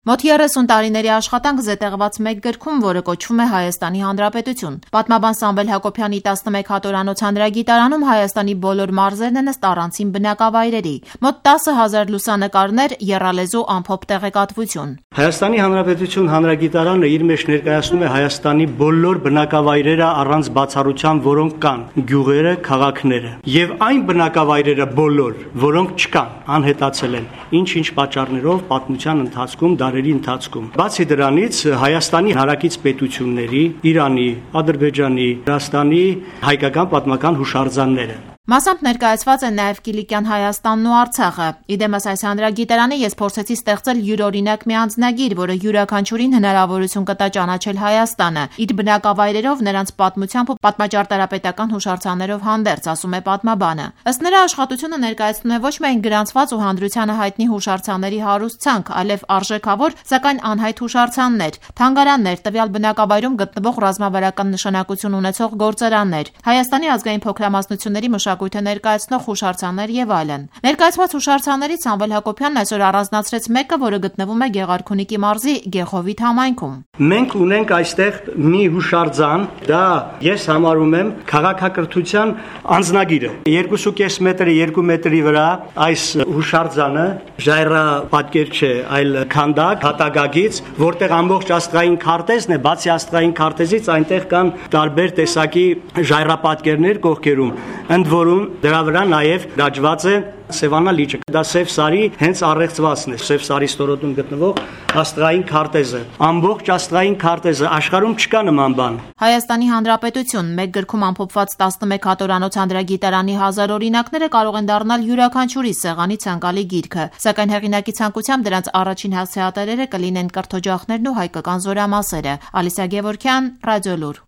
Մոտ 30 տարիների աշխատանք զետեղված մեկ գրքում, որը կոչվում է Հայաստանի Հանրապետություն։ Պատմաբան Սամվել Հակոբյանի 11 հատորանոց հանրագիտարանում Հայաստանի բոլոր մարզերն են ըստ առանցին բնակավայրերի։ Մոտ 10,000 լուսանկարներ, եռալեզու ամփոփ տեղեկատվություն։ Հայաստանի Հանրապետություն հանրագիտարանը իր մեջ ներկայացնում է Հայաստանի բոլոր բնակավայրերը առանց բացառության, որոնք կան, գյուղերը, քաղաքները, եւ այն բնակավայրերը բոլոր, որոնք չկան, անհետացել են, ինչ-ինչ պատճառներով պատմության ընթացքում դարերի ընթացքում։ Բացի դրանից, Հայաստանի հարակից պետությունների, Իրանի, Ադրբեջանի, Վրաստանի հայկական պատմական հուշարձանները։ Մասամբ ներկայացված է նաև Կիլիկյան Հայաստանն ու Արցախը։ Իդեմս այս հանրագիտարանի ես փորձեցի ստեղծել յուրօրինակ մի անձնագիր, որը յուրաքանչյուրին հնարավորություն կտա ճանաչել Հայաստանը, իր բնակավայրերով, նրանց պատմությամբ ու պատմաճարտարապետական հուշարձաններով հանդերձ, ասում է պատմաբանը։ Ըստ նրա, աշխատությունը ներկայացնում է ոչ միայն գրանցված ու հանրությանը հայտնի հուշարձանների հարուստ ցանկ, այլև արժեքավոր, սակայն անհայտ հուշարձաններ, թանգարաններ, տվյալ բնակավայրում գտնվող ռազմավարական նշանակություն ունեցող գործարաններ, Հայաստանի ազգային փոքրամասնությունների մշակույթը ներկայացնող հուշարձաններ եւ այլն։ Ներկայացված հուշարձաններից Սամվել Հակոբյանն այսօր առանձնացրեց մեկը, որը գտնվում է Գեղարքունիքի մարզի Գեխովիթ համայնքում։ Մենք ունենք այստեղ մի հուշարձան, դա ես համարում եմ քաղաքակրթության անձնագիրը։ 2.5 մետրի 2 մետրի վրա այս հուշարձանը ժայռապատկեր չէ, այլ քանդակ հատակագից, որտեղ ամբողջ աստղային քարտեզն է, բացի աստղային քարտեզից այնտեղ կան տարբեր տեսակի ժայռապատկերներ կողքերում, ընդ որում դրա վրա նաև դաջված է Սևանա լիճը, դա Սև Սարի հենց առեղծվածն է, Սև Սարի ստորոտում գտնվող աստղային քարտեզը, ամբողջ աստղային քարտեզը, աշխարհում չկա նման բան։ Հայաստանի Հանրապետություն մեկ գրքում ամփոփված 11 հատորանոց հանրագիտարանի 1000 օրինակները կարող են դառնալ յուրաքանչյուրի սեղանի ցանկալի գիրքը, սակայն հեղինակի ցանկությամբ դրանց առաջին հասցեատերերը կլինեն կրթօջախներն ու հայկական զորամասերը։ Ալիսա Գևորգյան, Ռադիոլուր։